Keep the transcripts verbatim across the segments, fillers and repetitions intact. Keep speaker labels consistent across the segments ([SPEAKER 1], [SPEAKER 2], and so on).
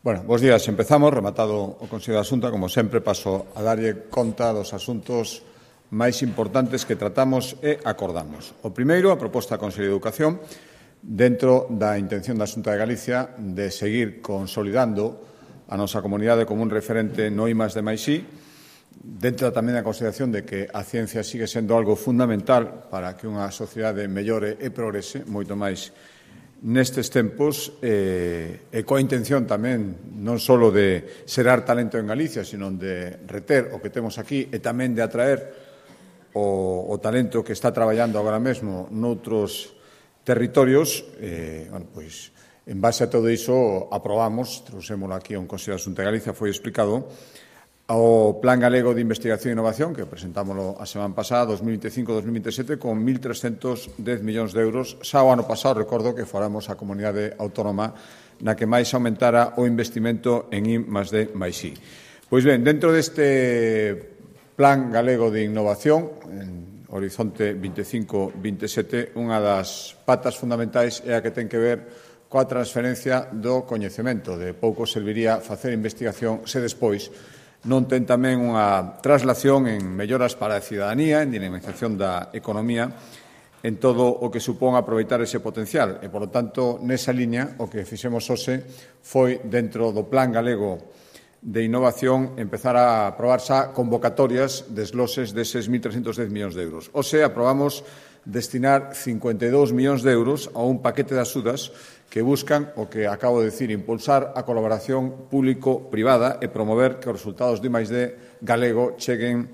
[SPEAKER 1] Bueno, bos días. Empezamos, rematado o Consello da Xunta, como sempre, paso a darlle conta dos asuntos máis importantes que tratamos e acordamos. O primeiro, a proposta do Consello de Educación, dentro da intención da Xunta de Galicia de seguir consolidando a nosa comunidade como un referente no I más D máis I, dentro tamén da consideración de que a ciencia sigue sendo algo fundamental para que unha sociedade mellore e progrese, moito máis nestes tempos, eh, e coa intención tamén non só de xerar talento en Galicia, sino de reter o que temos aquí e tamén de atraer o, o talento que está traballando agora mesmo noutros territorios. eh, bueno, pois, en base a todo iso, aprobamos, trouxémolo aquí a un Consello da Xunta de Galicia, foi explicado, o Plan Galego de Investigación e Innovación, que presentámoslo a semana pasada, dos mil veinticinco a dos mil veintisiete, con mil trescentos dez millóns de euros. Xa o ano pasado, recordo que fóramos a comunidade autónoma na que máis aumentara o investimento en I más D máis I. Pois ben, dentro deste Plan Galego de Innovación, en horizonte veinticinco veintisiete, unha das patas fundamentais é a que ten que ver coa transferencia do coñecemento. De pouco serviría facer investigación se despois non ten tamén unha traslación en melloras para a cidadanía, en dinamización da economía, en todo o que supón aproveitar ese potencial. E, por lo tanto, nesa liña, o que fixemos hoxe foi, dentro do Plan Galego de Innovación, empezar a aprobar xa convocatorias de esloses deses mil trescentos dez millóns de euros. Hoxe aprobamos destinar cincuenta e dous millóns de euros a un paquete de axudas que buscan, o que acabo de decir, impulsar a colaboración público-privada e promover que os resultados do I máis D galego cheguen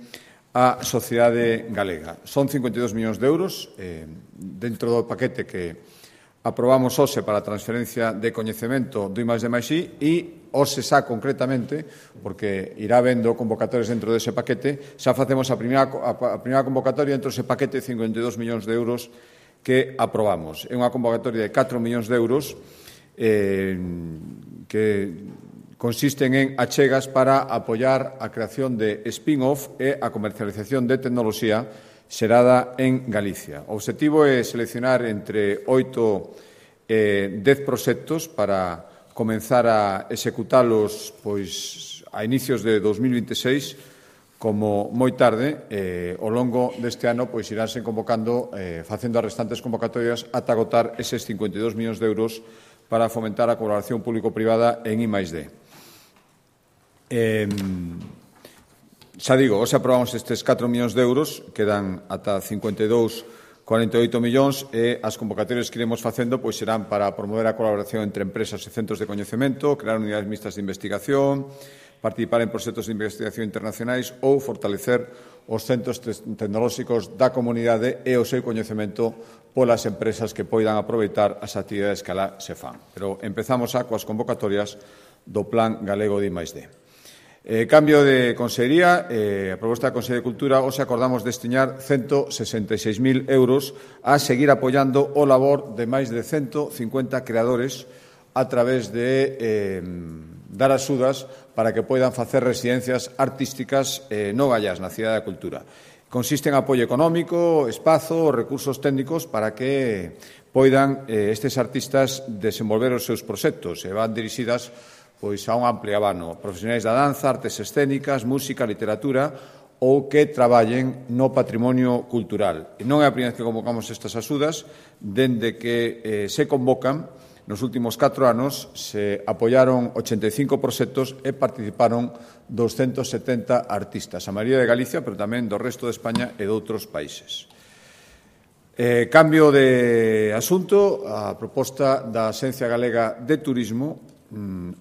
[SPEAKER 1] á sociedade galega. Son cincuenta e dous millóns de euros eh, dentro do paquete que aprobamos hoxe para a transferencia de coñecemento do I máis D máis I e hoxe xa concretamente, porque irá vendo convocatorias dentro dese paquete, xa facemos a primeira, a primeira convocatoria dentro dese paquete de cincuenta e dous millóns de euros que aprobamos. É unha convocatoria de catro millóns de euros eh, que consisten en achegas para apoiar a creación de spin-off e a comercialización de tecnoloxía xerada en Galicia. O obxectivo é seleccionar entre oito e dez proxectos para comenzar a executalos pois, a inicios de dos mil veintiséis, como moi tarde, eh, ao longo deste ano, pois iránse convocando, eh, facendo as restantes convocatorias ata agotar eses cincuenta e dous millóns de euros para fomentar a colaboración público-privada en I máis D. Eh, xa digo, hoxe aprobamos estes catro millóns de euros, quedan ata cincuenta e dous vírgula cuarenta e oito millóns e as convocatorias que iremos facendo pois serán para promover a colaboración entre empresas e centros de coñecemento, crear unidades mixtas de investigación, participar en proxectos de investigación internacionais ou fortalecer os centros tecnolóxicos da comunidade e o seu coñecemento polas empresas que poidan aproveitar as actividades que alá se fan. Pero empezamos xa coas convocatorias do Plan Galego de I máis D. Eh, cambio de consellería, eh, a proposta da Consellería de Cultura, hoxe acordamos destinar ciento sesenta e seis mil euros a seguir apoiando o labor de máis de ciento cincuenta creadores a través de eh, dar axudas para que poidan facer residencias artísticas eh, no gallás, na Cidade da Cultura. Consiste en apoio económico, espazo, recursos técnicos para que poidan eh, estes artistas desenvolver os seus proxectos e van dirixidas pois a un amplio abano, profesionais da danza, artes escénicas, música, literatura ou que traballen no patrimonio cultural. E non é a primeira vez que convocamos estas axudas, dende que eh, se convocan, nos últimos catro anos se apoiaron ochenta e cinco proxectos e participaron doscientos setenta artistas, a maioría de Galicia, pero tamén do resto de España e de outros países. Eh, cambio de asunto, a proposta da Axencia Galega de Turismo,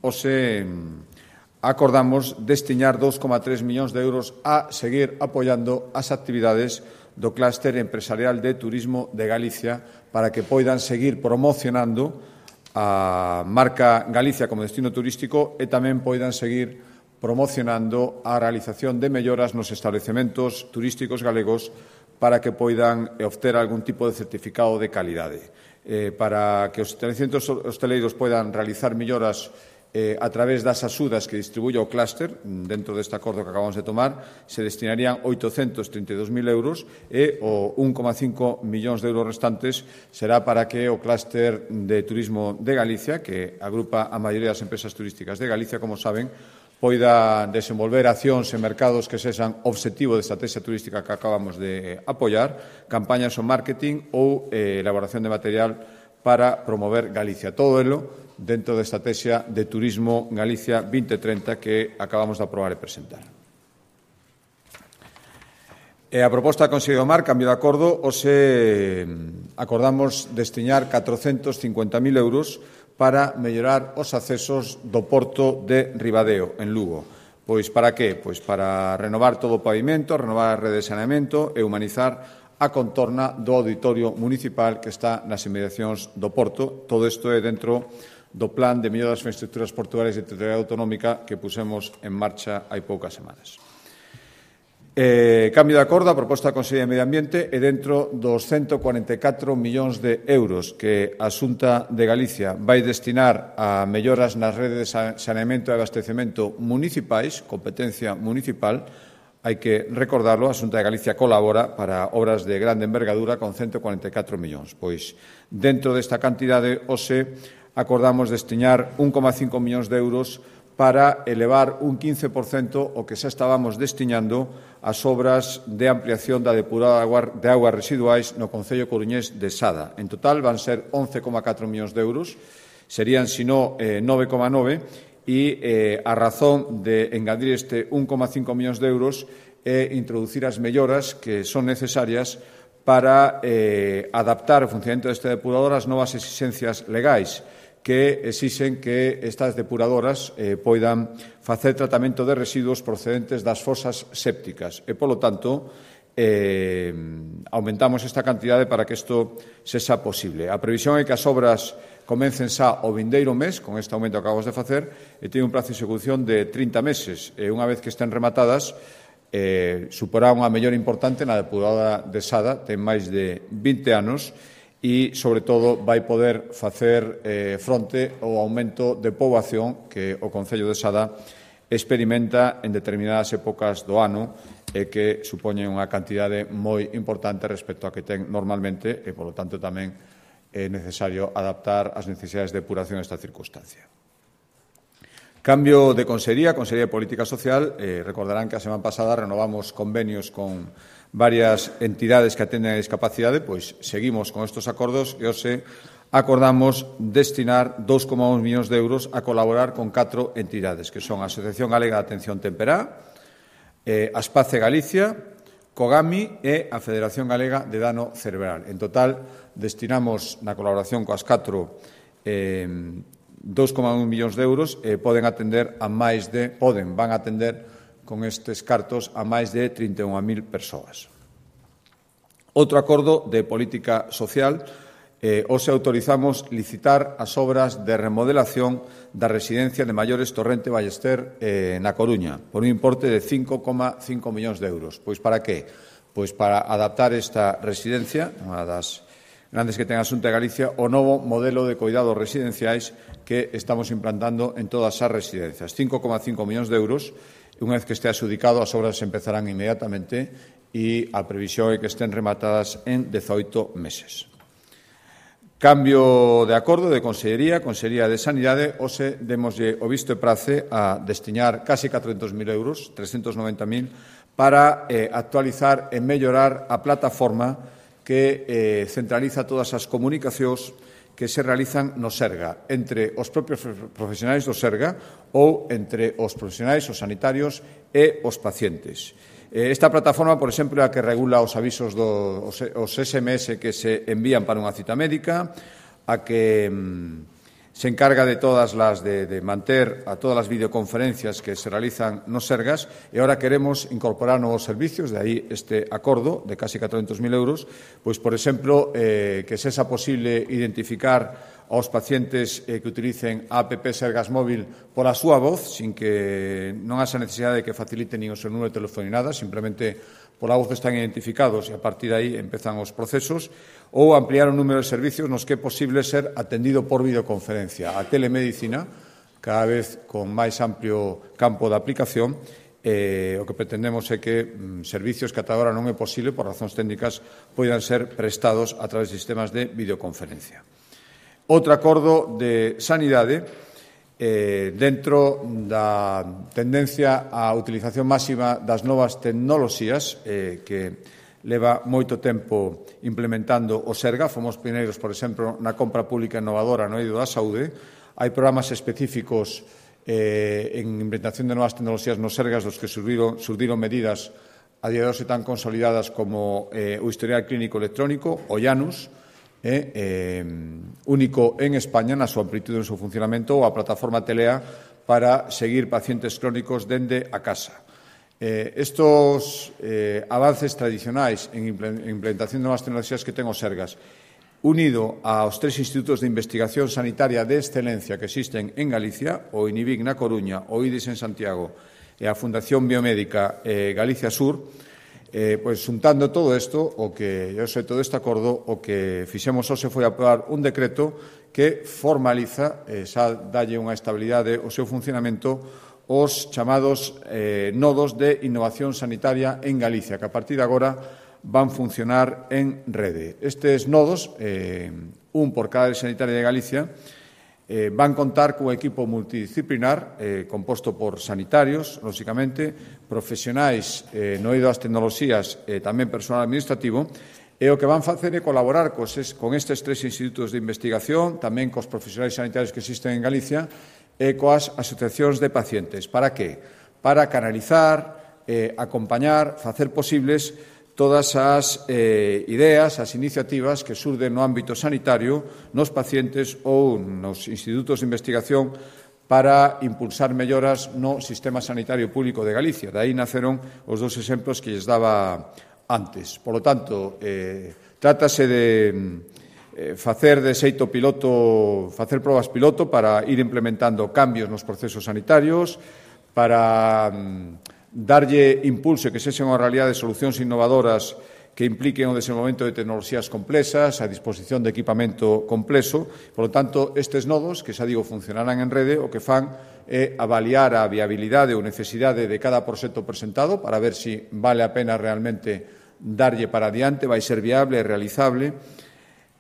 [SPEAKER 1] hoxe acordamos destinar dous coma tres millóns de euros a seguir apoiando as actividades do clúster empresarial de turismo de Galicia para que poidan seguir promocionando a marca Galicia como destino turístico e tamén poidan seguir promocionando a realización de melloras nos establecementos turísticos galegos para que poidan obter algún tipo de certificado de calidade. Eh, para que os estabelecementos hosteleiros poidan realizar melloras eh, a través das axudas que distribuye o clúster, dentro deste acordo que acabamos de tomar, se destinarían oitocentos trinta e dous mil euros e o un coma cinco millóns de euros restantes será para que o clúster de turismo de Galicia, que agrupa a maioría das empresas turísticas de Galicia, como saben, poida desenvolver accións en mercados que sexan obxectivo de estrategia turística que acabamos de apoiar, campañas o marketing ou eh, elaboración de material para promover Galicia. Todo elo dentro da estrategia de Turismo Galicia vinte trinta que acabamos de aprobar e presentar. E a proposta do Consello do Mar, cambio de acordo, hoxe acordamos destinar catrocentos cincuenta mil euros para mellorar os accesos do porto de Ribadeo, en Lugo. Pois para que? Pois para renovar todo o pavimento, renovar a rede de saneamento e humanizar a contorna do auditorio municipal que está nas inmediacións do porto. Todo isto é dentro do plan de mellora das infraestructuras portuarias de titularidade autonómica que pusemos en marcha hai poucas semanas. Eh, cambio de acordo, a proposta da Consellería de Medio Ambiente é dentro dos ciento cuarenta e catro millóns de euros que a Xunta de Galicia vai destinar a melloras nas redes de saneamento e abastecemento municipais, competencia municipal. Hai que recordarlo, a Xunta de Galicia colabora para obras de grande envergadura con ciento cuarenta e catro millóns. Pois, dentro desta cantidade, hoxe acordamos destinar un coma cinco millóns de euros para elevar un quince por cento o que xa estábamos destinando ás obras de ampliación da depuradora de augas residuais no concello coruñés de Sada. En total van ser once coma catro millóns de euros, serían, sino, eh, nove coma nove, e eh, a razón de engadir este un coma cinco millóns de euros é introducir as melloras que son necesarias para eh, adaptar o funcionamento deste depurador ás novas exixencias legais que exixen que estas depuradoras eh, poidan facer tratamento de residuos procedentes das fosas sépticas e, polo tanto, eh, aumentamos esta cantidade para que isto sexa posible. A previsión é que as obras comecen xa o vindeiro mes, con este aumento que acabamos de facer, e teñen un prazo de execución de trinta meses. E unha vez que estén rematadas, eh, suporá unha mellora importante na depuradora de Sada, ten máis de vinte anos, e, sobre todo, vai poder facer eh, fronte ao aumento de poboación que o Concello de Sada experimenta en determinadas épocas do ano e que supoñen unha cantidade moi importante respecto a que ten normalmente e, polo tanto, tamén é necesario adaptar as necesidades de depuración a esta circunstancia. Cambio de consellería, Consellería de Política Social. Eh, recordarán que a semana pasada renovamos convenios con varias entidades que atenden a discapacidade, pois seguimos con estes acordos e hoxe acordamos destinar dos coma un millóns de euros a colaborar con catro entidades, que son a Asociación Galega de Atención Temperá, eh, Aspace Galicia, COGAMI e a Federación Galega de Dano Cerebral. En total, destinamos na colaboración coas catro eh, dos coma un millóns de euros e poden atender a máis de, poden, van a atender con estes cartos a máis de trinta e unha mil persoas. Outro acordo de política social, eh, hoxe autorizamos licitar as obras de remodelación da residencia de maiores Torrente Ballester eh, na Coruña, por un importe de cinco coma cinco millóns de euros. Pois para que? Pois para adaptar esta residencia, unha das grandes que ten a Xunta de Galicia, o novo modelo de cuidados residenciais que estamos implantando en todas as residencias. cinco coma cinco millóns de euros. Unha vez que este adxudicado, as obras empezarán inmediatamente e a previsión é que estén rematadas en dezoito meses. Cambio de acordo de Consellería, Consellería de Sanidade. Hoxe demoslle o visto e prace a destinar casi catrocentos mil euros, trescentos noventa mil, para eh, actualizar e mellorar a plataforma que eh, centraliza todas as comunicacións que se realizan no Serga, entre os propios profesionais do Serga ou entre os profesionais, os sanitarios e os pacientes. Esta plataforma, por exemplo, é a que regula os avisos dos os S M S que se envían para unha cita médica, a que se encarga de todas las de, de manter a todas as videoconferencias que se realizan nos Sergas e ahora queremos incorporar novos servicios, de aí este acordo de casi catrocentos mil euros, pois, por exemplo, eh, que sexa posible identificar aos pacientes eh, que utilicen a app Sergas Móvil pola súa voz, sin que non haxa necesidade de que faciliten nin o seu número de teléfono ni nada, simplemente pola voz están identificados e a partir de aí empezan os procesos, ou ampliar o número de servicios nos que é posible ser atendido por videoconferencia. A telemedicina, cada vez con máis amplio campo de aplicación. Eh, o que pretendemos é que mm, servicios que ata agora non é posible, por razóns técnicas, poidan ser prestados a través de sistemas de videoconferencia. Outro acordo de sanidade, eh, dentro da tendencia á utilización máxima das novas tecnoloxías eh, que leva moito tempo implementando o Serga. Fomos pioneiros, por exemplo, na compra pública innovadora no eido da saúde. Hai programas específicos eh, en implementación de novas tecnoloxías nos Sergas dos que surdiron, surdiron medidas a día de hoxe tan consolidadas como eh, o historial clínico electrónico, o IANUS, Eh, eh, único en España na súa amplitude e no seu funcionamento, ou a plataforma Telea para seguir pacientes crónicos dende a casa. Eh, estos eh, avances tradicionais en implementación de novas tecnoloxías que ten o Sergas, unido aos tres institutos de investigación sanitaria de excelencia que existen en Galicia, o INIVIC na Coruña, o IDIS en Santiago e a Fundación Biomédica eh, Galicia Sur, Eh, pois, xuntando todo isto, o que, eu sei, todo este acordo, o que fixemos hoxe foi aprobar un decreto que formaliza, eh, xa dalle unha estabilidade ao seu funcionamento, os chamados eh, nodos de innovación sanitaria en Galicia, que a partir de agora van funcionar en rede. Estes nodos, eh, un por cada área sanitaria de Galicia, Eh, van contar cun equipo multidisciplinar eh, composto por sanitarios, lóxicamente, profesionais eh, no eido das tecnoloxías e eh, tamén personal administrativo, e o que van facer é colaborar cos, con estes tres institutos de investigación, tamén cos profesionais sanitarios que existen en Galicia e coas asociacións de pacientes. Para que? Para canalizar, eh, acompañar, facer posibles todas as eh, ideas, as iniciativas que surden no ámbito sanitario, nos pacientes ou nos institutos de investigación para impulsar melloras no sistema sanitario público de Galicia. De aí naceron os dous exemplos que lles daba antes. Por lo tanto, eh, trátase de eh, facer de xeito piloto, facer probas piloto para ir implementando cambios nos procesos sanitarios, para mm, darlle impulso e que sexan unha realidade de solucións innovadoras que impliquen o desenvolvemento de tecnoloxías complexas, a disposición de equipamento complexo. Por lo tanto, estes nodos, que xa digo, funcionarán en rede, o que fan é avaliar a viabilidade ou necesidade de cada proxecto presentado para ver se vale a pena realmente darlle para adiante, vai ser viable e realizable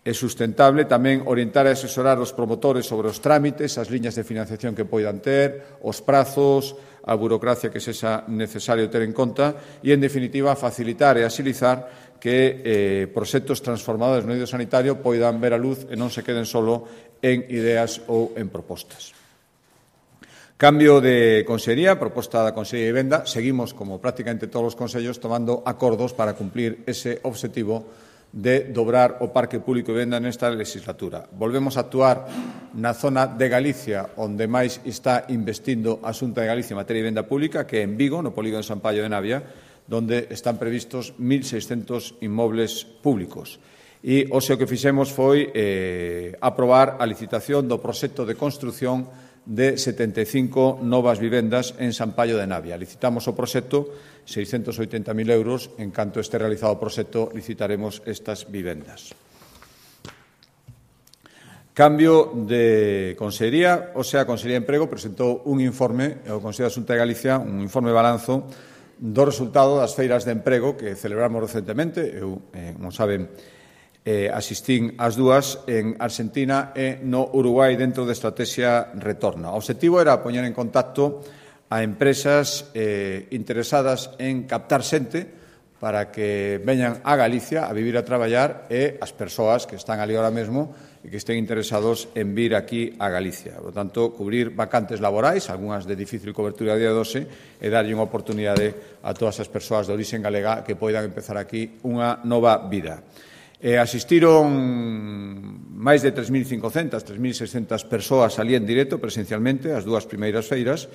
[SPEAKER 1] e sustentable. Tamén orientar e asesorar os promotores sobre os trámites, as liñas de financiación que poidan ter, os prazos, a burocracia que sexa necesario ter en conta e, en definitiva, facilitar e axilizar que eh, proxectos transformadores no eido sanitario poidan ver a luz e non se queden solo en ideas ou en propostas. Cambio de consellería, proposta da Consellería de Vivenda. Seguimos, como prácticamente todos os consellos, tomando acordos para cumplir ese obxectivo de dobrar o parque público de vivenda nesta legislatura. Volvemos a actuar na zona de Galicia onde máis está investindo a Xunta de Galicia en materia de vivenda pública, que é en Vigo, no polígono de San Paio de Navia, onde están previstos mil seiscentos inmobles públicos. E hoxe o que fixemos foi eh, aprobar a licitación do proxecto de construción de setenta e cinco novas vivendas en San Paio de Navia. Licitamos o proxecto, seiscentos oitenta mil euros. En canto este realizado o proxecto, licitaremos estas vivendas. Cambio de consellería. O sea, a Consellería de Emprego presentou un informe ao Consello da Xunta de Galicia, un informe de balanzo do resultado das feiras de emprego que celebramos recentemente. Eu, eh, como saben, Eh, asistín ás dúas en Argentina e no Uruguai dentro da estrategia Retorna. O obxectivo era poñer en contacto a empresas eh, interesadas en captar xente para que veñan a Galicia a vivir a traballar e as persoas que están ali ahora mesmo e que estén interesados en vir aquí a Galicia. Por tanto, cubrir vacantes laborais, algunhas de difícil cobertura a día de hoxe, e darlle unha oportunidade a todas as persoas de orixe galega que poidan empezar aquí unha nova vida. Eh, asistiron máis de tres mil cincocentas, tres mil seiscentas persoas ali en directo, presencialmente, as dúas primeiras feiras,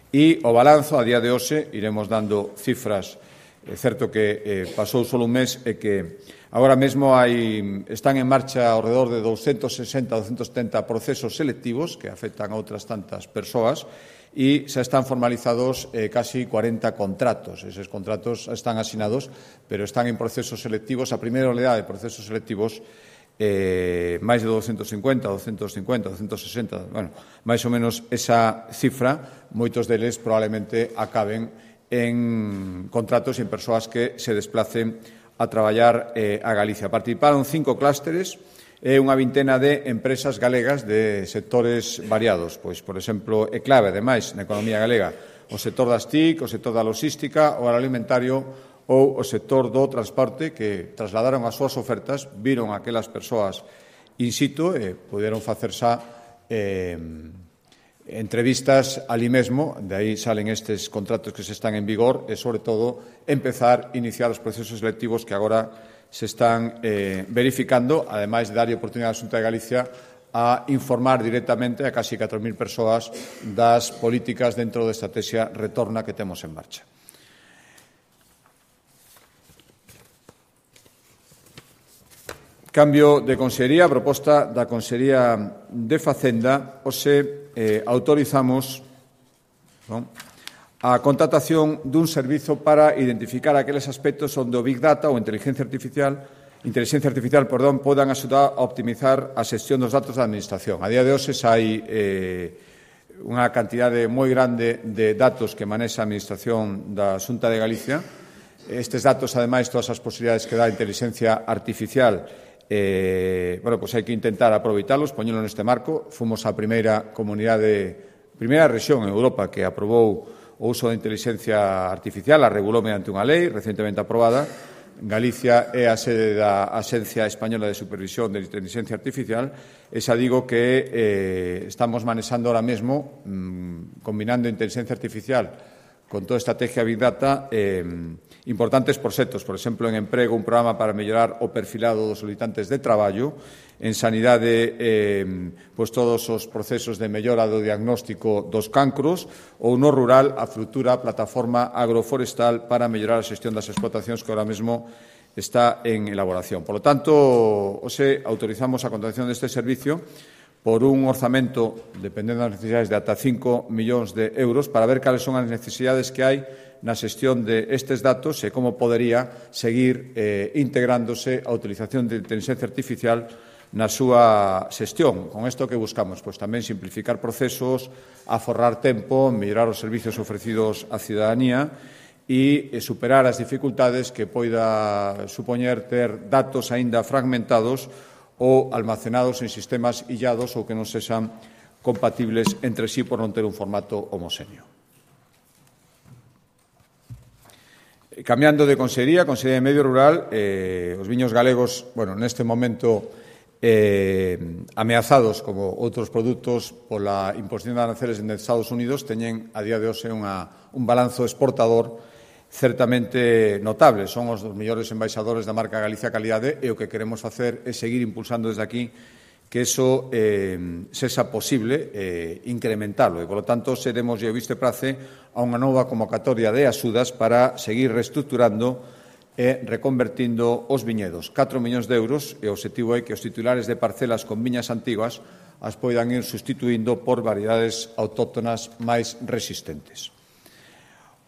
[SPEAKER 1] e o balanzo, a día de hoxe, iremos dando cifras. É certo que eh, pasou só un mes e que agora mesmo hai, están en marcha ao redor de douscentos sesenta a douscentos setenta procesos selectivos que afectan a outras tantas persoas e xa están formalizados eh, casi cuarenta contratos. Eses contratos están asinados, pero están en procesos selectivos. A primeira oleada de procesos selectivos eh, máis de doscientos cincuenta, doscientos cincuenta, doscientos sesenta, bueno, máis ou menos esa cifra, moitos deles probablemente acaben en contratos e en persoas que se desplacen a traballar eh, a Galicia. Participaron cinco clústeres e unha vintena de empresas galegas de sectores variados. Pois, por exemplo, é clave, ademais, na economía galega, o sector das T I C, o sector da logística, o agroalimentario ou o sector do transporte, que trasladaron as súas ofertas, viron aquelas persoas in situ e puderon facer xa eh, entrevistas ali mesmo, de aí salen estes contratos que se están en vigor e, sobre todo, empezar a iniciar os procesos selectivos que agora se están eh, verificando, ademais de darlle oportunidade á Xunta de Galicia a informar directamente a casi catro mil persoas das políticas dentro da estrategia Retorna que temos en marcha. Cambio de consellería, a proposta da Consellería de Facenda, hoxe eh, autorizamos non, a contratación dun servizo para identificar aqueles aspectos onde o Big Data ou inteligencia artificial, inteligencia artificial perdón, podan axudar a optimizar a xestión dos datos da Administración. A día de hoxe hai eh, unha cantidade moi grande de datos que manexa a Administración da Xunta de Galicia. Estes datos, ademais, todas as posibilidades que dá a inteligencia artificial, Eh, bueno, pues hai que intentar aproveitalos, poñelo neste marco. Fomos a primeira comunidade, primeira rexión en Europa que aprobou o uso da inteligencia artificial, a regulou mediante unha lei recentemente aprobada. Galicia é a sede da Axencia Española de Supervisión de Inteligencia Artificial e xa digo que eh, estamos manexando ahora mesmo, mmm, combinando inteligencia artificial con toda a estrategia Big Data, eh, importantes proxectos, por exemplo, en emprego, un programa para mellorar o perfilado dos solicitantes de traballo, en sanidade, eh, pois todos os procesos de mellora do diagnóstico dos cancros, ou no rural, a futura plataforma agroforestal para mellorar a xestión das explotacións que ahora mesmo está en elaboración. Por lo tanto, hoxe autorizamos a contratación deste servicio por un orzamento, dependendo das necesidades, de ata cinco millóns de euros para ver cales son as necesidades que hai na xestión de estes datos e como podería seguir eh, integrándose a utilización de inteligencia artificial na súa xestión. Con isto que buscamos? Pois tamén simplificar procesos, aforrar tempo, mellorar os servizos ofrecidos á cidadanía e superar as dificultades que poida supoñer ter datos aínda fragmentados ou almacenados en sistemas illados ou que non sexan compatibles entre sí por non ter un formato homoxéneo. Cambiando de consellería, Consellería de Medio Rural, eh, os viños galegos, bueno, neste momento eh, ameazados como outros produtos pola imposición de aranceles en Estados Unidos, teñen a día de hoxe unha, un balanzo exportador certamente notables. Son os dos mellores embaixadores da marca Galicia Calidade e o que queremos facer é seguir impulsando desde aquí que eso eh, sexa posible eh, incrementalo e, polo tanto, seremos e o viste prace a unha nova convocatoria de axudas para seguir reestructurando e reconvertindo os viñedos. catro millóns de euros e o obxectivo é que os titulares de parcelas con viñas antiguas as poidan ir sustituindo por variedades autóctonas máis resistentes.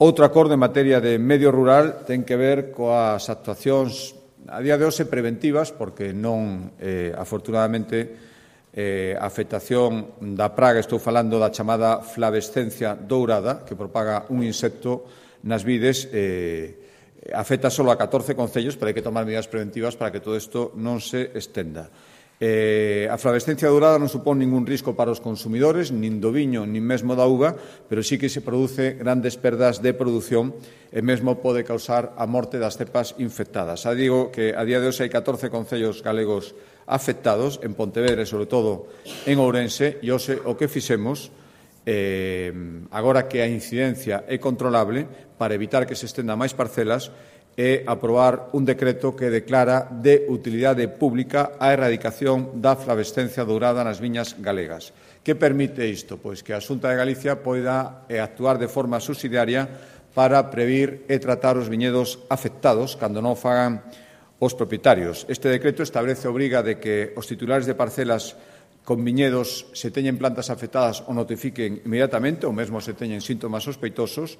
[SPEAKER 1] Outro acordo en materia de medio rural ten que ver coas actuacións a día de hoxe preventivas, porque non, eh, afortunadamente, eh, a afectación da praga, estou falando da chamada flavescencia dourada, que propaga un insecto nas vides, eh, afecta só a catorce concellos, pero hai que tomar medidas preventivas para que todo isto non se estenda. Eh, a flavescencia dourada non supón ningún risco para os consumidores, nin do viño, nin mesmo da uva, pero sí que se produce grandes perdas de produción e mesmo pode causar a morte das cepas infectadas. Xa digo que a día de hoxe hai catorce concellos galegos afectados, en Pontevedra e, sobre todo, en Ourense, e hoxe o que fixemos, eh, agora que a incidencia é controlable, para evitar que se estenda máis parcelas, é aprobar un decreto que declara de utilidade pública a erradicación da flavescencia dourada nas viñas galegas. Que permite isto? Pois que a Xunta de Galicia poida actuar de forma subsidiaria para previr e tratar os viñedos afectados cando non fagan os propietarios. Este decreto establece a obriga de que os titulares de parcelas con viñedos se teñen plantas afectadas o notifiquen inmediatamente ou mesmo se teñen síntomas sospeitosos.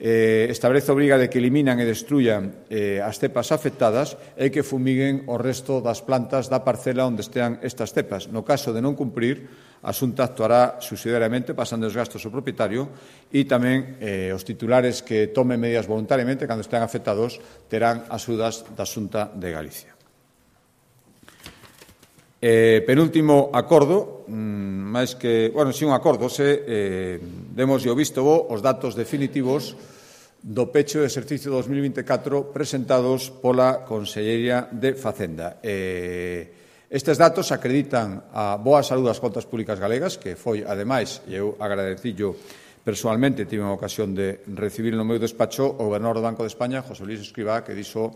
[SPEAKER 1] eh, establece a obriga de que eliminan e destruyan eh, as cepas afectadas e que fumiguen o resto das plantas da parcela onde estean estas cepas. No caso de non cumprir, a Xunta actuará subsidiariamente pasando os gastos ao propietario e tamén eh, os titulares que tomen medidas voluntariamente cando estean afectados terán axudas da Xunta de Galicia. Eh, penúltimo acordo, mmm, máis que, bueno, si un acordo, se eh, demos o visto bo os datos definitivos do pecho do exercicio dos mil vinte e catro presentados pola Consellería de Facenda. Eh, estes datos acreditan a boa saúde das contas públicas galegas, que foi, ademais, e eu agradecillo personalmente, tive unha ocasión de recibir no meu despacho o gobernador do Banco de España, José Luis Escrivá, que dixo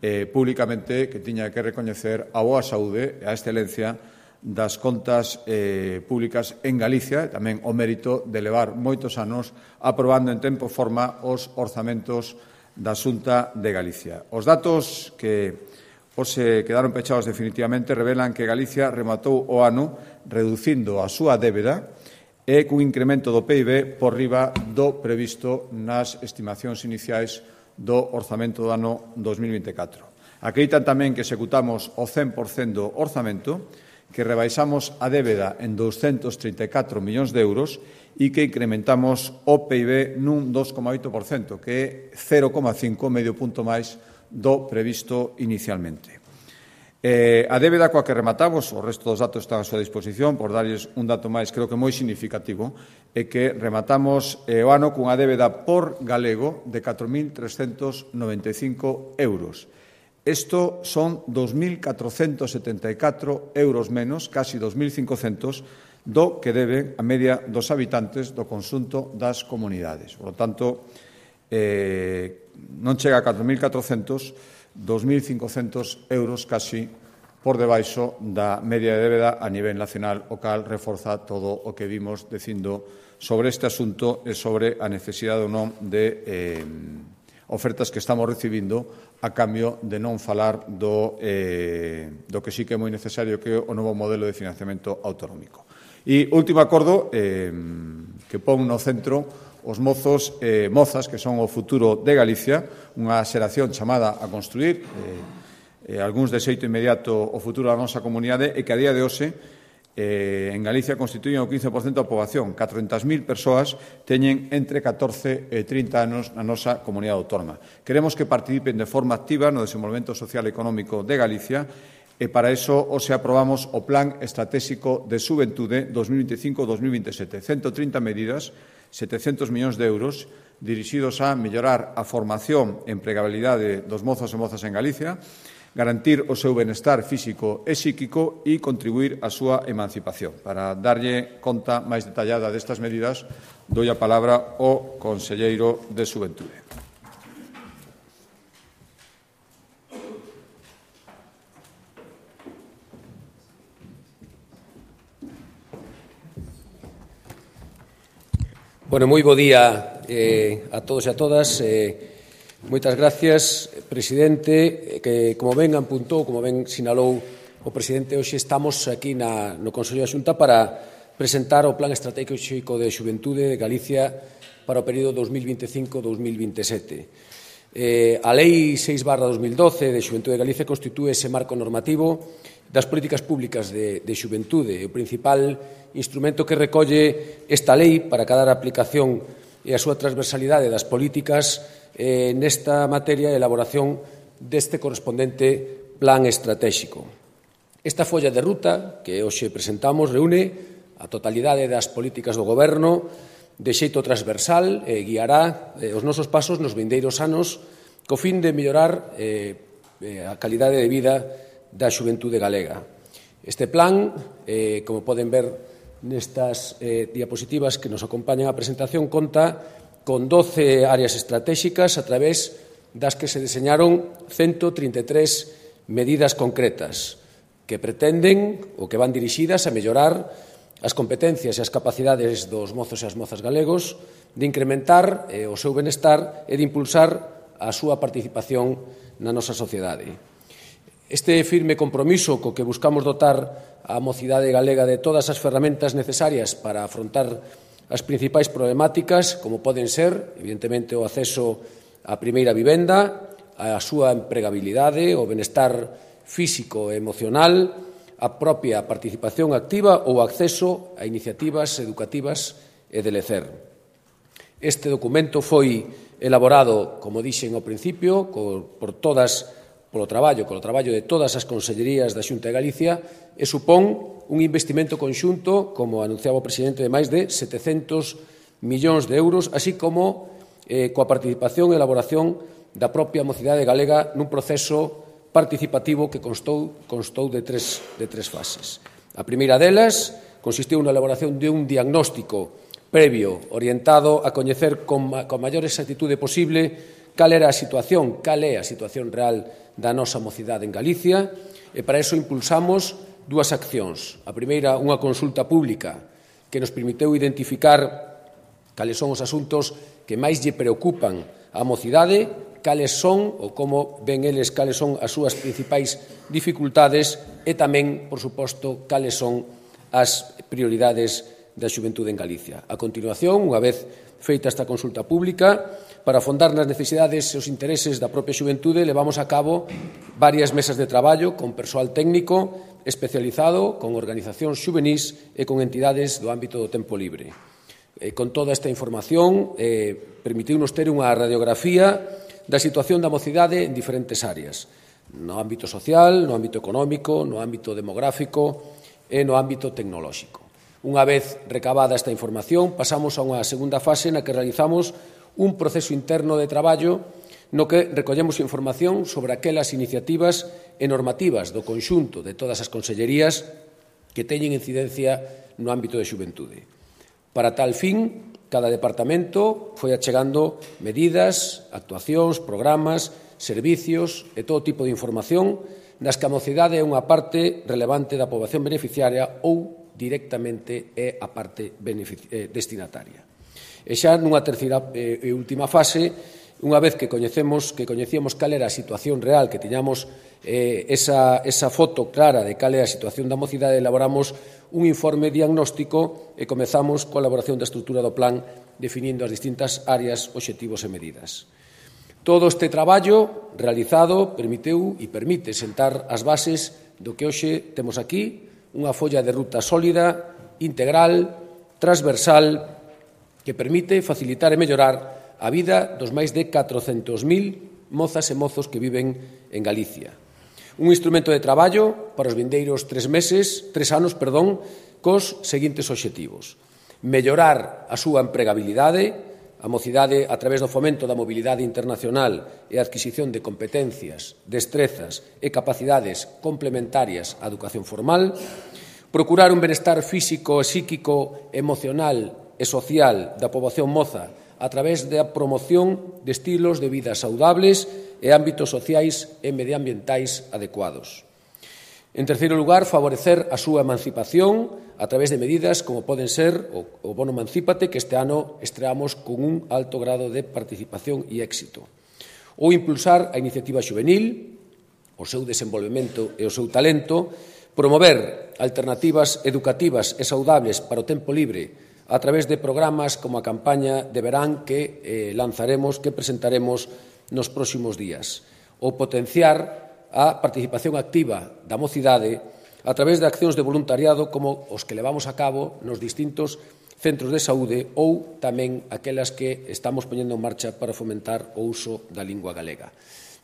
[SPEAKER 1] eh, públicamente que tiña que recoñecer a boa saúde e a excelencia das contas eh, públicas en Galicia, e tamén o mérito de levar moitos anos aprobando en tempo e forma os orzamentos da Xunta de Galicia. Os datos que hoxe quedaron pechados definitivamente revelan que Galicia rematou o ano reducindo a súa débeda e cun incremento do P I B por riba do previsto nas estimacións iniciais do orzamento do ano dos mil vinte e catro. Acreditan tamén que executamos o cen por cento do orzamento, que rebaixamos a débeda en douscentos trinta e catro millóns de euros e que incrementamos o P I B nun dos coma oito por cento, que é cero coma cinco, medio punto máis do previsto inicialmente. Eh, a débeda coa que rematamos, o resto dos datos están a súa disposición, por darlles un dato máis, creo que moi significativo, é que rematamos eh, o ano cunha débeda por galego de catro mil trescentos noventa e cinco euros. Isto son dos mil catrocentos setenta e catro euros menos, casi dos mil cincocentos, do que deben a media dos habitantes do conxunto das comunidades. Por lo tanto, eh, non chega a catro mil catrocentos, dos mil cincocentos euros casi por debaixo da media de débeda a nivel nacional, o cal reforza todo o que vimos dicindo sobre este asunto e sobre a necesidade ou non de eh, ofertas que estamos recibindo a cambio de non falar do, eh, do que sí que é moi necesario, que é o novo modelo de financiamento autonómico. E último acordo eh, que pon no centro os mozos e eh, mozas que son o futuro de Galicia, unha xeración chamada a construir, eh, eh, algúns de xeito inmediato o futuro da nosa comunidade e que a día de hoxe eh, en Galicia constituyen o quince por cento da poboación. catrocentas mil persoas teñen entre catorce e trinta anos na nosa comunidade autónoma. Queremos que participen de forma activa no desenvolvemento social e económico de Galicia e para iso hoxe aprobamos o Plan Estratégico de Xuventude dos mil vinte e cinco a dos mil vinte e sete. ciento trinta medidas, setecentos millóns de euros dirixidos a mellorar a formación e empregabilidade dos mozos e mozas en Galicia, garantir o seu benestar físico e psíquico e contribuir á súa emancipación. Para darlle conta máis detallada destas medidas, dou a palabra ao conselleiro de Xuventude.
[SPEAKER 2] Bueno, moi bo día eh, a todos e a todas. Eh, moitas gracias, presidente, que como ben apuntou, como ben sinalou o presidente, hoxe estamos aquí na, no Consello da Xunta para presentar o Plan Estratégico de Xuventude de Galicia para o período dos mil vinte e cinco a dos mil vinte e sete. Eh, a Lei seis barra dos mil doce de Xuventude de Galicia constitúe ese marco normativo das políticas públicas de, de xuventude. O principal instrumento que recolle esta lei para cada aplicación e a súa transversalidade das políticas eh, nesta materia de elaboración deste correspondente plan estratégico. Esta folla de ruta que hoxe presentamos reúne a totalidade das políticas do Goberno de xeito transversal e guiará eh, os nosos pasos nos vindeiros anos co fin de mellorar eh, a calidade de vida da xuventude galega. Este plan, eh, como poden ver nestas eh, diapositivas que nos acompañan a presentación, conta con doce áreas estratégicas a través das que se deseñaron ciento trinta e tres medidas concretas que pretenden ou que van dirixidas a mellorar as competencias e as capacidades dos mozos e as mozas galegos, de incrementar eh, o seu benestar e de impulsar a súa participación na nosa sociedade. Este firme compromiso co que buscamos dotar a mocidade galega de todas as ferramentas necesarias para afrontar as principais problemáticas, como poden ser, evidentemente, o acceso á primeira vivenda, a súa empregabilidade, o benestar físico e emocional, a propia participación activa ou acceso a iniciativas educativas e de lecer. Este documento foi elaborado, como dixen ao principio, por todas, polo traballo, polo traballo de todas as consellerías da Xunta de Galicia e supón un investimento conxunto, como anunciaba o presidente, de máis de setecentos millóns de euros, así como eh, coa participación e elaboración da propia mocidade galega nun proceso participativo que constou, constou de, tres, de tres fases. A primeira delas consistiu na elaboración de un diagnóstico previo, orientado a coñecer con, con maior exactitude posible cal era a situación, cal é a situación real da nosa mocidade en Galicia, e para iso impulsamos dúas accións. A primeira, unha consulta pública que nos permitiu identificar cales son os asuntos que máis lle preocupan á mocidade, cales son, ou como ven eles, cales son as súas principais dificultades e tamén, por suposto, cales son as prioridades da xuventude en Galicia. A continuación, unha vez feita esta consulta pública, para afondar nas necesidades e os intereses da propia xuventude, levamos a cabo varias mesas de traballo con persoal técnico especializado, con organizacións xuvenís e con entidades do ámbito do tempo libre. E con toda esta información, eh, permitiunos ter unha radiografía da situación da mocidade en diferentes áreas, no ámbito social, no ámbito económico, no ámbito demográfico e no ámbito tecnolóxico. Unha vez recabada esta información, pasamos a unha segunda fase na que realizamos un proceso interno de traballo no que recollemos información sobre aquelas iniciativas e normativas do conxunto de todas as consellerías que teñen incidencia no ámbito de xuventude. Para tal fin, cada departamento foi achegando medidas, actuacións, programas, servicios e todo tipo de información das que a mocidade é unha parte relevante da poboación beneficiaria ou directamente é a parte destinataria. E xa nunha terceira e última fase, unha vez que coñecemos que coñecíamos cal era a situación real, que tiñamos eh, esa, esa foto clara de cal é a situación da mocidade, elaboramos un informe diagnóstico e comezamos coa elaboración da estrutura do plan, definindo as distintas áreas, obxectivos e medidas. Todo este traballo realizado permitiu e permite sentar as bases do que hoxe temos aquí, unha folla de ruta sólida, integral, transversal, que permite facilitar e mellorar a vida dos máis de catrocentos mil mozas e mozos que viven en Galicia. Un instrumento de traballo para os vindeiros tres meses, tres anos, perdón, cos seguintes obxectivos. Mellorar a súa empregabilidade, a mocidade a través do fomento da mobilidade internacional e a adquisición de competencias, destrezas e capacidades complementarias á educación formal, procurar un benestar físico, psíquico, emocional e social da poboación moza a través da promoción de estilos de vida saudables e ámbitos sociais e medioambientais adecuados. En terceiro lugar, favorecer a súa emancipación a través de medidas como poden ser o Bono Emancípate, que este ano estreamos con un alto grado de participación e éxito. Ou impulsar a iniciativa xuvenil, o seu desenvolvemento e o seu talento, promover alternativas educativas e saudables para o tempo libre a través de programas como a campaña de verán que eh, lanzaremos, que presentaremos nos próximos días, ou potenciar a participación activa da mocidade a través de accións de voluntariado como os que levamos a cabo nos distintos centros de saúde ou tamén aquelas que estamos poñendo en marcha para fomentar o uso da lingua galega.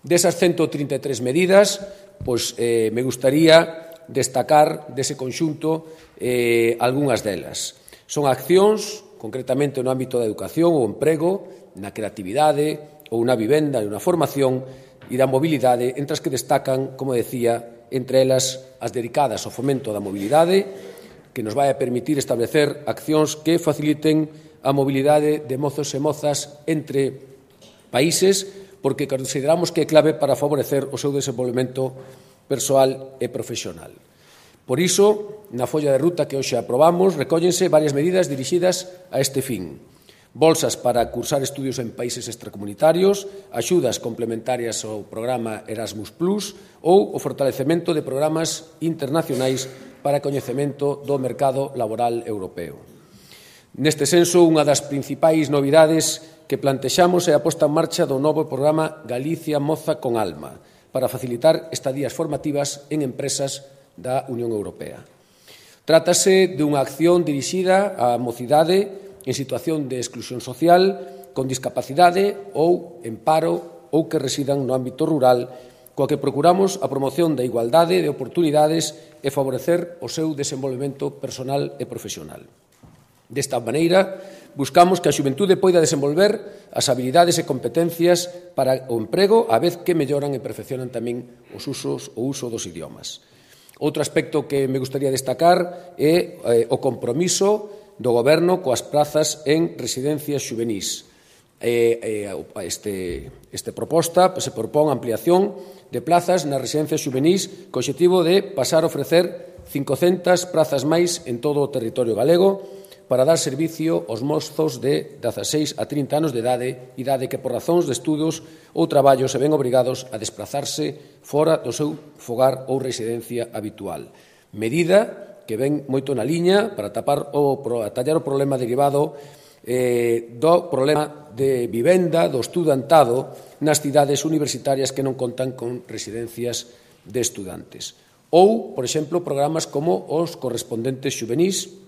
[SPEAKER 2] Desas ciento trinta e tres medidas, pois, eh, me gustaría destacar dese conxunto eh, algunhas delas. Son accións, concretamente no ámbito da educación ou emprego, na creatividade ou na vivenda e na formación e da mobilidade, entre as que destacan, como decía, entre elas as dedicadas ao fomento da mobilidade, que nos vai a permitir establecer accións que faciliten a mobilidade de mozos e mozas entre países, porque consideramos que é clave para favorecer o seu desenvolvemento persoal e profesional. Por iso, na folla de ruta que hoxe aprobamos, recóllense varias medidas dirixidas a este fin. Bolsas para cursar estudios en países extracomunitarios, axudas complementarias ao programa Erasmus plus ou o fortalecemento de programas internacionais para coñecemento do mercado laboral europeo. Neste senso, unha das principais novidades que plantexamos é a posta en marcha do novo programa Galicia Moza con Alma para facilitar estadías formativas en empresas da Unión Europea. Trátase dunha acción dirixida á mocidade en situación de exclusión social, con discapacidade ou en paro ou que residan no ámbito rural, coa que procuramos a promoción da igualdade de oportunidades e favorecer o seu desenvolvemento personal e profesional. Desta maneira, buscamos que a xuventude poida desenvolver as habilidades e competencias para o emprego, a vez que melloran e perfeccionan tamén os usos, o uso dos idiomas. Outro aspecto que me gustaría destacar é eh, o compromiso do Goberno coas prazas en residencias xuvenís. Eh, eh, este, este proposta pues, se propón a ampliación de plazas nas residencias xuvenís co obxectivo de pasar a ofrecer cincocentas prazas máis en todo o territorio galego para dar servicio aos mozos de dezaseis a trinta anos de idade, idade que por razóns de estudos ou traballo se ven obrigados a desplazarse fora do seu fogar ou residencia habitual. Medida que ven moito na liña para tapar o, para tallar o problema derivado eh, do problema de vivenda, do estudantado nas cidades universitarias que non contan con residencias de estudantes. Ou, por exemplo, programas como os correspondentes xuvenís.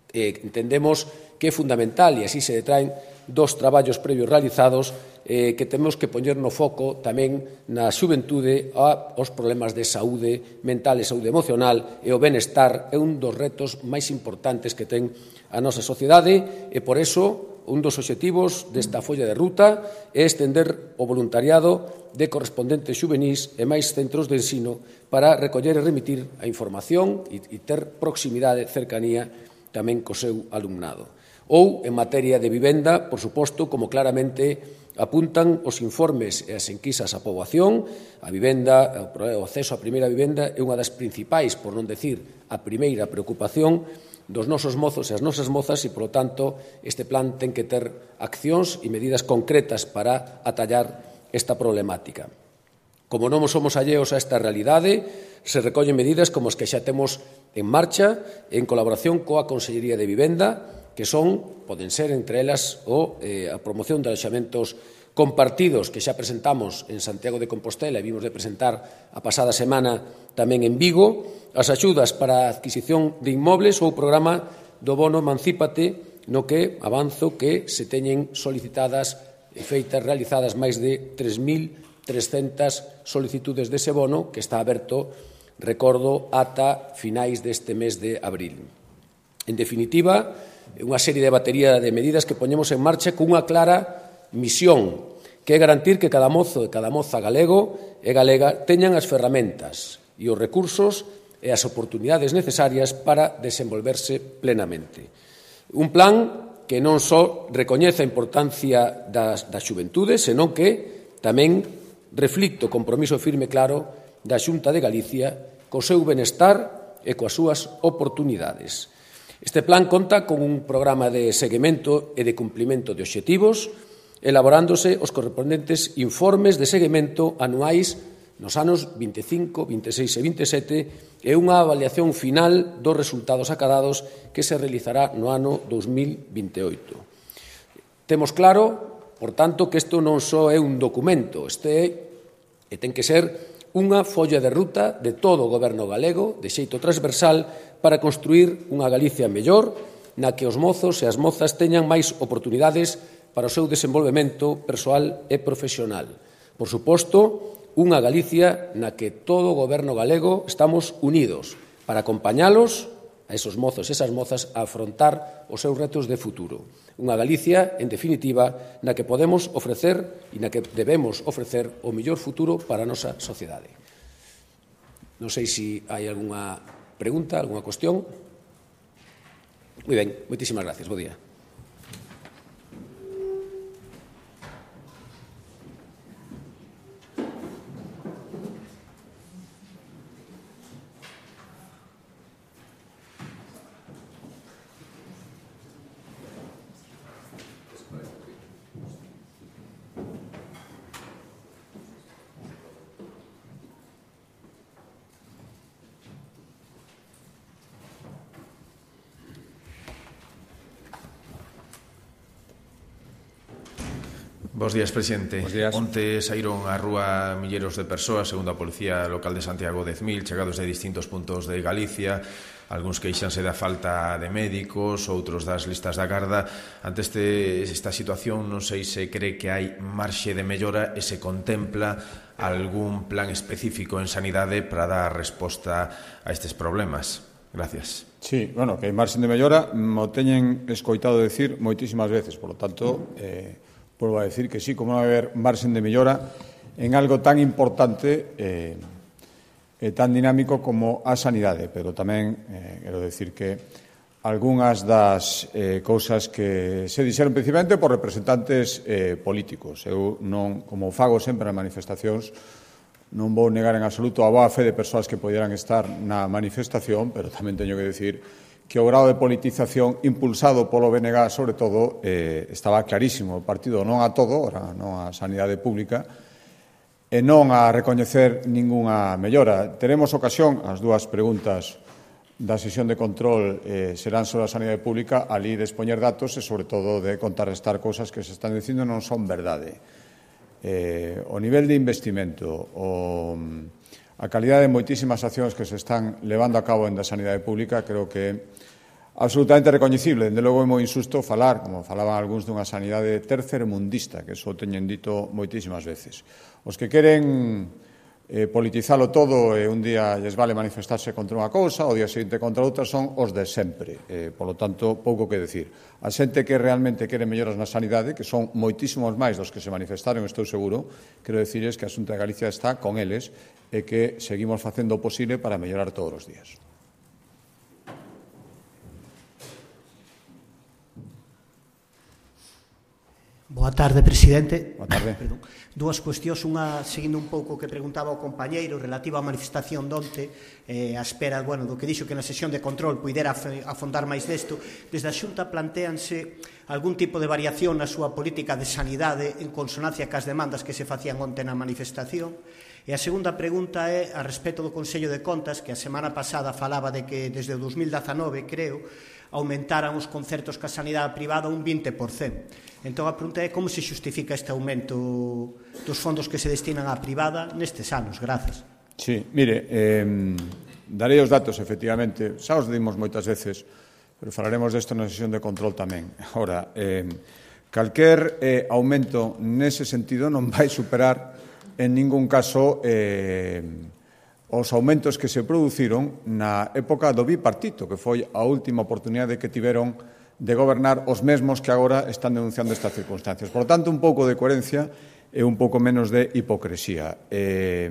[SPEAKER 2] Eh, entendemos que é fundamental, e así se detraen dos traballos previos realizados, eh, que temos que poñer no foco tamén na xuventude aos problemas de saúde mental e saúde emocional, e o benestar é un dos retos máis importantes que ten a nosa sociedade, e por iso un dos obxectivos desta folla de ruta é estender o voluntariado de correspondentes xuvenís e máis centros de ensino para recoller e remitir a información e, e ter proximidade, cercanía tamén co seu alumnado. Ou, en materia de vivenda, por suposto, como claramente apuntan os informes e as enquisas á poboación, a vivenda, o acceso á primeira vivenda é unha das principais, por non decir a primeira preocupación dos nosos mozos e as nosas mozas e, polo tanto, este plan ten que ter accións e medidas concretas para atallar esta problemática. Como non somos alleos a esta realidade, se recollen medidas como as que xa temos en marcha en colaboración coa Consellería de Vivenda, que son, poden ser entre elas, o, eh, a promoción de alexamentos compartidos que xa presentamos en Santiago de Compostela e vimos de presentar a pasada semana tamén en Vigo, as axudas para a adquisición de inmobles ou o programa do bono Emancípate, no que avanzo que se teñen solicitadas e feitas realizadas máis de tres mil trescentas solicitudes dese bono que está aberto, recordo, ata finais deste mes de abril. En definitiva, unha serie de batería de medidas que poñemos en marcha cunha clara misión, que é garantir que cada mozo e cada moza galego e galega teñan as ferramentas e os recursos e as oportunidades necesarias para desenvolverse plenamente. Un plan que non só recoñece a importancia das, da xuventude, senón que tamén reflicte o compromiso firme e claro da Xunta de Galicia co seu benestar e coas súas oportunidades. Este plan conta con un programa de seguimento e de cumplimento de obxectivos, elaborándose os correspondentes informes de seguimento anuais nos anos vinte e cinco, vinte e seis e vinte e sete e unha avaliación final dos resultados acadados que se realizará no ano dos mil vinte e oito. Temos claro, por tanto, que isto non só é un documento, este é, e ten que ser unha folla de ruta de todo o Goberno galego, de xeito transversal, para construir unha Galicia mellor, na que os mozos e as mozas teñan máis oportunidades para o seu desenvolvemento persoal e profesional. Por suposto, unha Galicia na que todo o Goberno galego estamos unidos para acompañalos a esos mozos e esas mozas a afrontar os seus retos de futuro. Unha Galicia, en definitiva, na que podemos ofrecer e na que debemos ofrecer o mellor futuro para a nosa sociedade. Non sei se hai algunha pregunta, algunha cuestión. Moi ben, moitísimas gracias. Bo día.
[SPEAKER 3] Bos días, presidente.
[SPEAKER 1] Bos días.
[SPEAKER 3] Onte saíron á rúa milleiros de persoas, segundo a Policía Local de Santiago, dez mil, chegados de distintos puntos de Galicia. Algúns queixanse da falta de médicos, outros das listas da garda. Ante este, esta situación, non sei se cree que hai marxe de mellora e se contempla algún plan específico en sanidade para dar resposta a estes problemas. Gracias.
[SPEAKER 1] Sí, bueno, que hai marxe de mellora, mo teñen escoitado decir moitísimas veces, por lo tanto, eh, volvo a decir que sí, como non vai haber marxen de mellora en algo tan importante eh, e tan dinámico como a sanidade, pero tamén eh, quero decir que algunhas das eh, cousas que se dixeron principalmente por representantes eh, políticos. Eu non, como fago sempre nas manifestacións, non vou negar en absoluto a boa fe de persoas que poderan estar na manifestación, pero tamén teño que decir que o grado de politización impulsado polo B N G, sobre todo, eh, estaba clarísimo. O partido non a todo, ora non a sanidade pública, e non a recoñecer ningunha mellora. Teremos ocasión, as dúas preguntas da sesión de control eh, serán sobre a sanidade pública, ali de expoñer datos e, sobre todo, de contrarrestar cousas que se están dicindo non son verdade. Eh, o nivel de investimento, o... a calidade de moitísimas accións que se están levando a cabo en da sanidade pública creo que é absolutamente recoñecible. Dende logo é moi insusto falar, como falaban algúns, dunha sanidade tercermundista, que iso teñen dito moitísimas veces. Os que queren eh, politizalo todo e un día lles vale manifestarse contra unha cousa, o día seguinte contra outra, son os de sempre. Eh, por lo tanto, pouco que decir. A xente que realmente quere melloras na sanidade, que son moitísimos máis dos que se manifestaron, estou seguro, quero dicirles que a Xunta de Galicia está con eles e que seguimos facendo o posible para mellorar todos os días.
[SPEAKER 4] Boa tarde, presidente.
[SPEAKER 1] Boa tarde.
[SPEAKER 4] Perdón. Dúas cuestións, unha seguindo un pouco o que preguntaba o compañeiro relativa á manifestación donte, eh, a espera, bueno, do que dixo que na sesión de control puidera afondar máis desto. Desde a Xunta plantéanse algún tipo de variación na súa política de sanidade en consonancia cas demandas que se facían onte na manifestación. E a segunda pregunta é a respecto do Consello de Contas, que a semana pasada falaba de que desde o dos mil dezanove, creo, aumentaran os concertos ca sanidade privada un vinte por cento. Entón, a pregunta é como se xustifica este aumento dos fondos que se destinan á privada nestes anos. Grazas.
[SPEAKER 1] Sí, mire, eh, darei os datos, efectivamente. Xa os dimos moitas veces, pero falaremos desto na sesión de control tamén. Ahora, eh, calquer eh, aumento nese sentido non vai superar en ningún caso eh, os aumentos que se produciron na época do bipartito, que foi a última oportunidade que tiveron de gobernar os mesmos que agora están denunciando estas circunstancias. Por tanto, un pouco de coherencia e un pouco menos de hipocresía. Eh,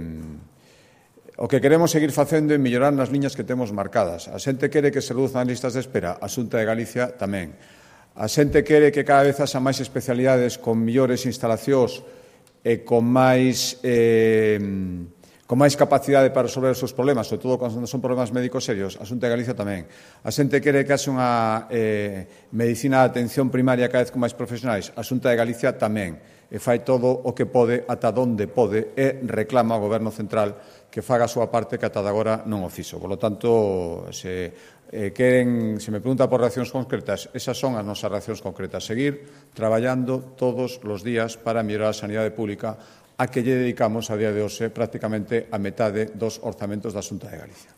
[SPEAKER 1] o que queremos seguir facendo é mellorar nas liñas que temos marcadas. A xente quere que se reduzan as listas de espera, a Xunta de Galicia tamén. A xente quere que cada vez haxa máis especialidades con millores instalacións e con máis... Eh, con máis capacidade para resolver os seus problemas, sobre todo cando son problemas médicos serios, a Xunta de Galicia tamén. A xente quere que haxe unha eh, medicina de atención primaria cada vez con máis profesionais, a Xunta de Galicia tamén. E fai todo o que pode, ata donde pode, e reclama ao Goberno Central que faga a súa parte que ata agora non o fixo. Por lo tanto, se eh, queren, se me pregunta por reaccións concretas, esas son as nosas reaccións concretas. Seguir traballando todos os días para mellorar a sanidade pública, a que lle dedicamos a día de hoxe prácticamente a metade dos orzamentos da Xunta de Galicia.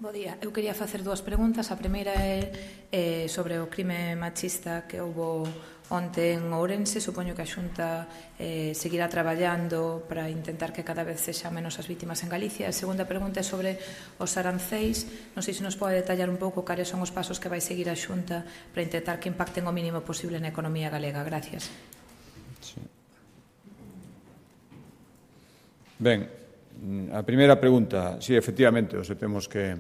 [SPEAKER 5] Bo día. Eu quería facer dúas preguntas. A primeira é eh, sobre o crime machista que houbo onte en Ourense. Supoño que a Xunta eh, seguirá traballando para intentar que cada vez sexa menos as vítimas en Galicia. A segunda pregunta é sobre os aranceis. Non sei se nos pode detallar un pouco cales son os pasos que vai seguir a Xunta para intentar que impacten o mínimo posible na economía galega. Gracias.
[SPEAKER 1] Sí. Ben, a primeira pregunta, sí, efectivamente, hoxe temos que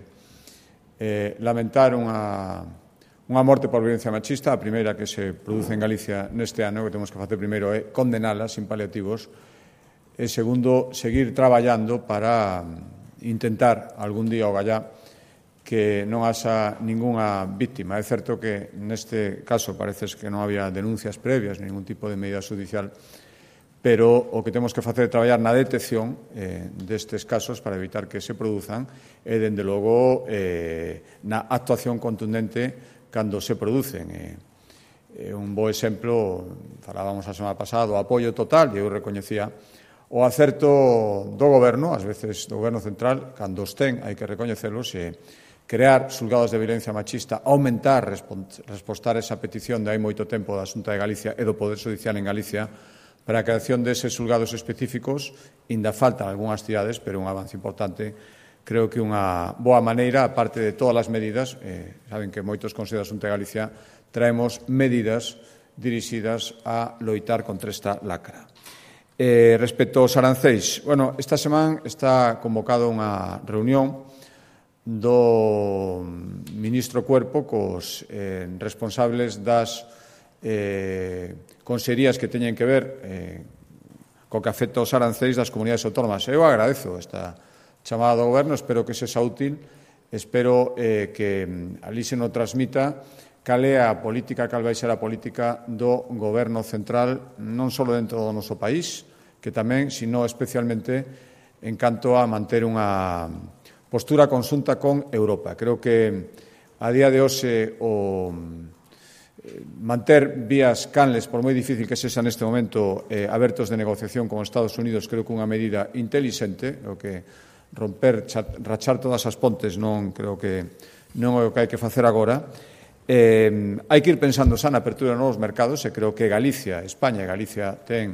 [SPEAKER 1] eh, lamentar unha, unha morte por violencia machista. A primeira que se produce en Galicia neste ano, que temos que facer primeiro é condenala sin paliativos, e segundo, seguir traballando para intentar algún día o gallá que non haxa ningunha víctima. É certo que neste caso parece que non había denuncias previas, ningún tipo de medida judicial, pero o que temos que facer é traballar na detección eh, destes casos para evitar que se produzan e, dende logo, eh, na actuación contundente cando se producen. E un bo exemplo, falábamos a semana pasada, o apoio total, e eu recoñecía o acerto do goberno, ás veces do goberno central, cando os ten, hai que recoñecelos, e crear xulgados de violencia machista, aumentar, respostar esa petición de hai moito tempo da Xunta de Galicia e do Poder Judicial en Galicia para a creación deses xulgados específicos. Ainda faltan algunhas cidades, pero un avance importante. Creo que unha boa maneira, aparte de todas as medidas, eh, saben que moitos consellos da Xunta de Galicia traemos medidas dirixidas a loitar contra esta lacra. Eh, respecto aos arancéis, bueno, esta semana está convocada unha reunión do ministro Cuerpo cos eh, responsables das eh, consellerías que teñen que ver eh, co que afecta aos arancéis das comunidades autónomas. Eu agradezo esta chamada do goberno, espero que sexa útil, espero eh, que ali se nos transmita cal é a política, cal vai ser a política do goberno central, non só dentro do noso país, que tamén, sino especialmente en canto a manter unha postura conxunta con Europa. Creo que a día de hoxe o manter vías canles, por moi difícil que sexa neste momento, eh, abertos de negociación con Estados Unidos, creo que unha medida intelixente, o que romper, rachar todas as pontes non creo que non é o que hai que facer agora. Eh, hai que ir pensando xa na apertura de novos mercados, e creo que Galicia, España e Galicia ten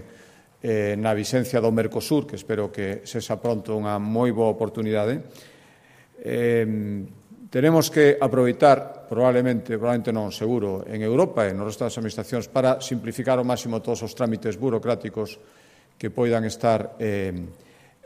[SPEAKER 1] eh, na vixencia do Mercosur, que espero que sexa pronto unha moi boa oportunidade. Eh, tenemos que aproveitar, probablemente, probablemente non, seguro, en Europa e no resto das administracións para simplificar ao máximo todos os trámites burocráticos que poidan estar eh,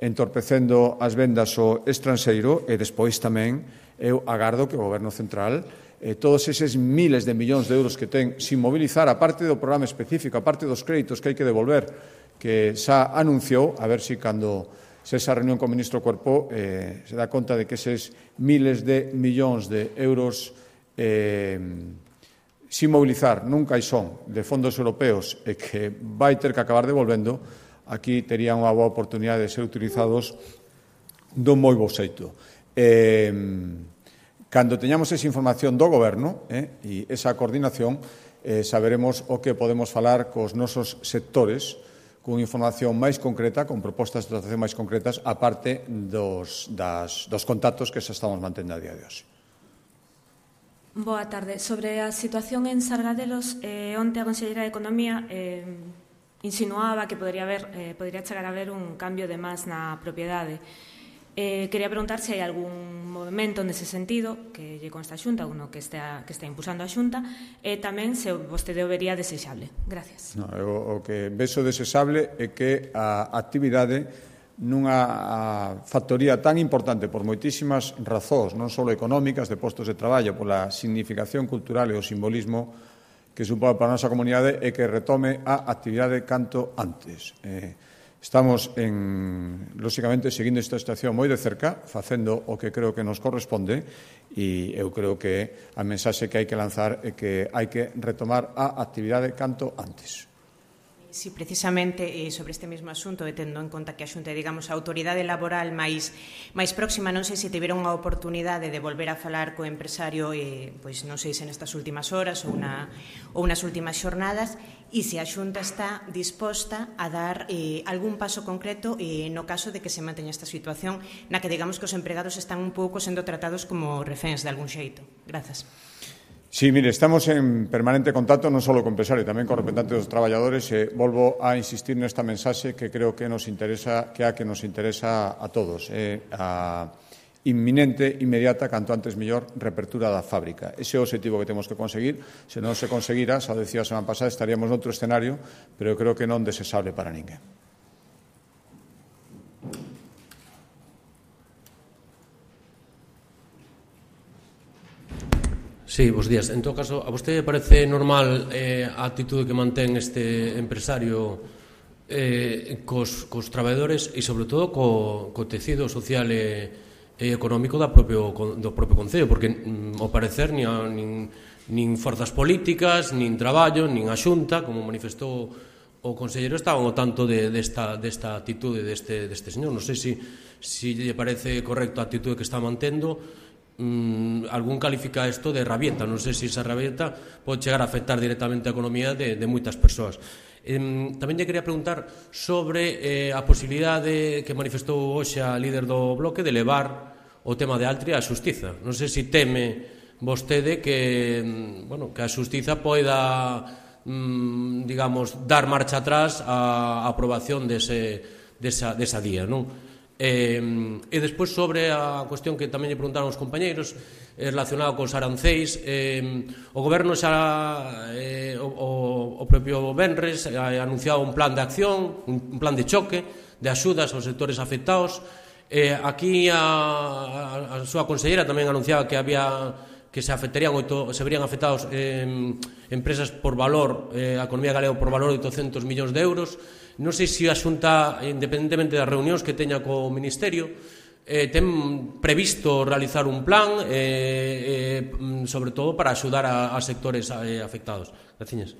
[SPEAKER 1] entorpecendo as vendas ao estranxeiro, e despois tamén eu agardo que o Goberno Central eh, todos eses miles de millóns de euros que ten sin mobilizar, a parte do programa específico, a parte dos créditos que hai que devolver, que xa anunciou, a ver se cando se esa reunión con o ministro Cuerpo eh, se dá conta de que eses miles de millóns de euros eh, sin mobilizar nun caixón de fondos europeos e que vai ter que acabar devolvendo, aquí terían unha boa oportunidade de ser utilizados dun moi bo xeito. Eh, cando teñamos esa información do Goberno eh, e esa coordinación, eh, saberemos o que podemos falar cos nosos sectores, con información máis concreta, con propostas de dotación máis concretas, aparte dos, das, dos contactos que xa estamos mantendo a día de hoxe.
[SPEAKER 6] Boa tarde. Sobre a situación en Sargadelos, eh, onte a Conselleira de Economía eh, insinuaba que podría, haber, eh, podría chegar a haber un cambio de más na propiedade. Eh, quería preguntar se hai algún movimento nese sentido que lle consta a Xunta, uno que está, que está impulsando a Xunta, e tamén se vostede o vería desexable. Gracias.
[SPEAKER 1] No, o, o que vexo desexable é que a actividade nunha factoría tan importante por moitísimas razóns, non só económicas, de postos de traballo, pola significación cultural e o simbolismo que supón para a nosa comunidade, é que retome a actividade canto antes. Eh, Estamos, en, lóxicamente, seguindo esta situación moi de cerca, facendo o que creo que nos corresponde, e eu creo que a mensaxe que hai que lanzar é que hai que retomar a actividade canto antes.
[SPEAKER 7] Sí, precisamente eh, sobre este mesmo asunto, e tendo en conta que a Xunta, digamos, a autoridade laboral máis máis próxima, non sei se tiveron a oportunidade de volver a falar co empresario, eh, pois non sei se nestas últimas horas ou, na, ou nas últimas xornadas, e se a Xunta está disposta a dar eh, algún paso concreto eh, no caso de que se manteña esta situación na que, digamos, que os empregados están un pouco sendo tratados como reféns de algún xeito. Grazas.
[SPEAKER 1] Sí, mire, estamos en permanente contacto non só co empresario, tamén con representantes dos traballadores, e volvo a insistir nesta mensaxe que creo que nos interesa, que a que nos interesa a todos, é a inminente, inmediata, canto antes mellor, reapertura da fábrica. Ese é o objetivo que temos que conseguir. Se non se conseguira, xa o decía a semana pasada, estaríamos noutro escenario, pero creo que non desexable para ninguén.
[SPEAKER 8] Sí, bos días. En todo caso, a vostede parece normal eh, a actitude que mantén este empresario eh, cos, cos traballadores e, sobre todo, co, co tecido social e, e económico da propio, do propio Concello, porque, mm, ao parecer, nin, nin, nin forzas políticas, nin traballo, nin a Xunta, como manifestou o conselleiro, estaban ao tanto de, desta, desta actitude deste, deste señor. Non sei se si, si lle parece correcto a actitude que está mantendo, mm, algún califica isto de rabieta. Non sei se esa rabieta pode chegar a afectar directamente a economía de, de moitas persoas. Eh, tamén lle quería preguntar sobre eh, a posibilidade que manifestou hoxe a líder do bloque de levar o tema de Altria á xustiza. Non sei se teme vostede que, bueno, que a xustiza poida, mm, digamos, dar marcha atrás á aprobación dese, desa, desa día, non? Eh, e despois sobre a cuestión que tamén lle preguntaron os compañeiros eh, relacionado cos aranceis, eh, o goberno xa eh, o, o propio Benres ha anunciado un plan de acción, un plan de choque de axudas aos sectores afectados. Eh, aquí a, a, a súa consellera tamén anunciaba que había que se afectarían oito, se verían afectados eh, empresas por valor, eh, a economía galega por valor de oitocentos millóns de euros. Non sei se a Xunta, independentemente das reunións que teña co Ministerio, eh, ten previsto realizar un plan, eh, eh, sobre todo para axudar a, a sectores eh, afectados. Graciñas.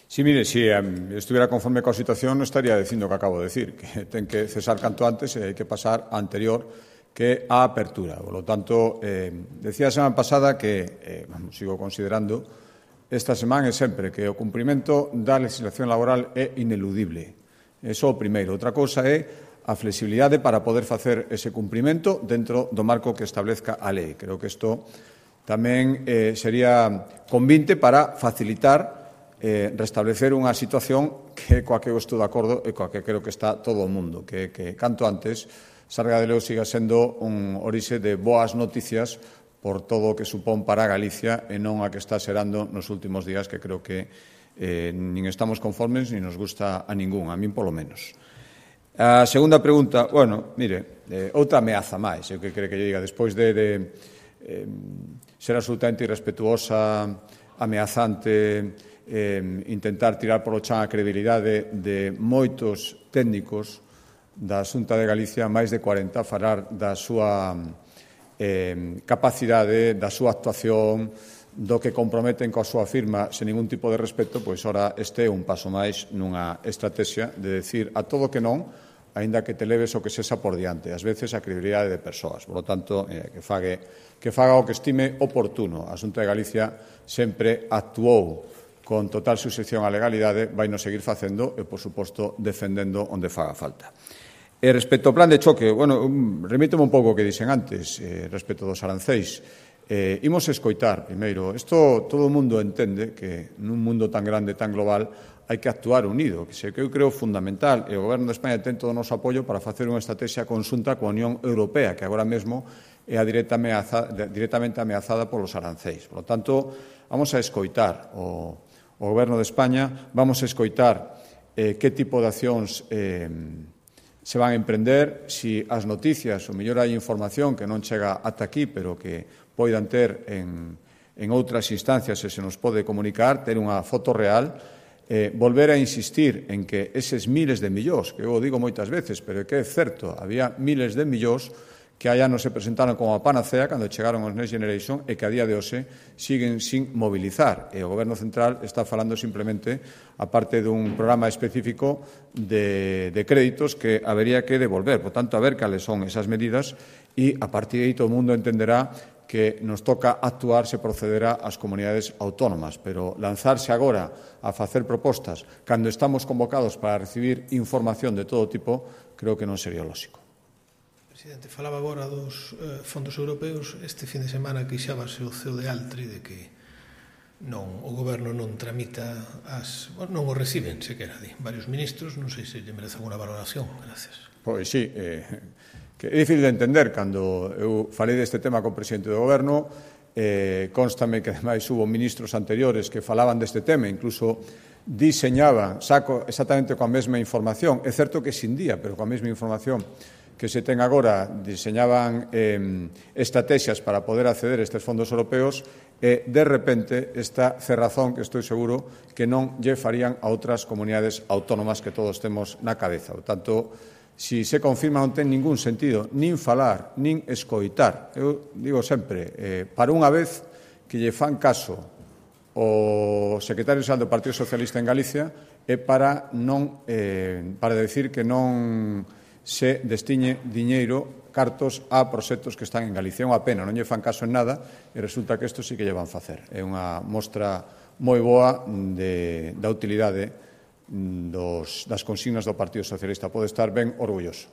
[SPEAKER 1] Sí, mire, se si, um, estuviera conforme coa situación non estaría dicindo o que acabo de decir, que ten que cesar canto antes e hai que pasar a anterior que a apertura. Por lo tanto, eh, decía a semana pasada que, eh, sigo considerando, esta semana e sempre, que o cumprimento da legislación laboral é ineludible. Eso o primeiro. Outra cousa é a flexibilidade para poder facer ese cumprimento dentro do marco que establezca a lei. Creo que isto tamén eh, sería convinte para facilitar eh, restablecer unha situación que coa que eu estou de acordo e coa que creo que está todo o mundo, que, que canto antes Sargadelo siga sendo un orixe de boas noticias por todo o que supón para Galicia e non a que está xerando nos últimos días, que creo que eh, nin estamos conformes nin nos gusta a ningún, a min polo menos. A segunda pregunta, bueno, mire, eh, outra ameaza máis, eu que creo que lle diga, despois de, de eh, ser absolutamente irrespetuosa, ameazante, eh, intentar tirar polo chan a credibilidade de moitos técnicos da Xunta de Galicia, máis de cuarenta, falar da súa eh, capacidade, da súa actuación, do que comprometen coa súa firma sen ningún tipo de respeto, pois ora este é un paso máis nunha estrategia de decir a todo que non, aínda que te leves o que sexa por diante, ás veces a credibilidade de persoas. Por lo tanto, eh, que, fague, que faga o que estime oportuno. A Xunta de Galicia sempre actuou con total suxección á legalidade, vai nos seguir facendo e, por suposto, defendendo onde faga falta. E respecto ao plan de choque, bueno, remíteme un pouco o que dixen antes, eh, respecto dos aranceis. Eh, imos escoitar, primeiro, isto todo o mundo entende que nun mundo tan grande, tan global, hai que actuar unido, que se que eu creo fundamental, e o Goberno de España ten todo o noso apoio para facer unha estrategia conxunta coa Unión Europea, que agora mesmo é a directa ameaza, directamente ameazada polos aranceis. Por lo tanto, vamos a escoitar o, o Goberno de España, vamos a escoitar eh, que tipo de accións eh, se van a emprender, si as noticias, o mellor hai información que non chega ata aquí, pero que poidan ter en, en outras instancias e se nos pode comunicar, ter unha foto real, eh, volver a insistir en que eses miles de millóns, que eu o digo moitas veces, pero que é certo, había miles de millóns que hai anos se presentaron como a panacea cando chegaron os Next Generation e que a día de hoxe siguen sin mobilizar. E o Goberno Central está falando simplemente, aparte dun programa específico de, de créditos que habería que devolver. Por tanto, a ver cales son esas medidas e a partir de aí todo o mundo entenderá que nos toca actuar se procederá ás comunidades autónomas, pero lanzarse agora a facer propostas cando estamos convocados para recibir información de todo tipo, creo que non sería lógico.
[SPEAKER 9] Presidente, falaba agora dos eh, fondos europeos. Este fin de semana queixábase o C E O de Altri de que non, o goberno non tramita as... Bueno, non o reciben, sequera, di varios ministros. Non sei se lle merece alguna valoración. Gracias.
[SPEAKER 1] Pois sí, eh, que é difícil de entender. Cando eu falei deste tema co presidente do goberno, eh, constame que ademais hubo ministros anteriores que falaban deste tema, incluso diseñaban, saco exactamente coa mesma información. É certo que sin día, pero coa mesma información que se ten agora, diseñaban eh, estrategias para poder acceder a estes fondos europeos e, de repente, esta cerrazón que estou seguro que non lle farían a outras comunidades autónomas que todos temos na cabeza. Por tanto, si se confirma non ten ningún sentido nin falar, nin escoitar. Eu digo sempre, eh, para unha vez que lle fan caso o secretario xeral do Partido Socialista en Galicia é para non eh, para decir que non se destiñe diñeiro cartos a proxectos que están en Galicia. É unha pena, non lle fan caso en nada e resulta que isto sí que lle van facer. É unha mostra moi boa de, da utilidade dos, das consignas do Partido Socialista. Pode estar ben orgulloso.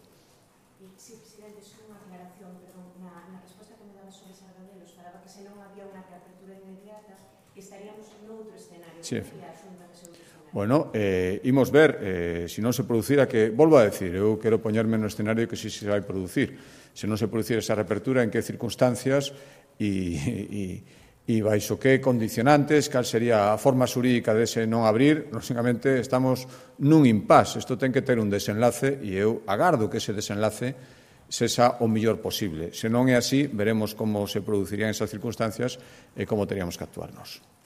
[SPEAKER 7] Sí, presidente, só unha aclaración, perdón, na, na resposta que me daba sobre Sargadelos, falaba que se non había unha reapertura inmediata, estaríamos noutro escenario.
[SPEAKER 1] Sí.
[SPEAKER 7] Que a Xunta que se outro escenario.
[SPEAKER 1] Bueno, eh, imos ver, eh, se non se producira, que, volvo a decir, eu quero poñerme no escenario que si se vai producir. Se non se producir esa reapertura, en que circunstancias e, e e baixo que condicionantes, cal sería a forma xurídica dese non abrir, lógicamente estamos nun impasse. Isto ten que ter un desenlace e eu agardo que ese desenlace sexa o mellor posible. Se non é así, veremos como se producirían esas circunstancias e como teríamos que actuarnos.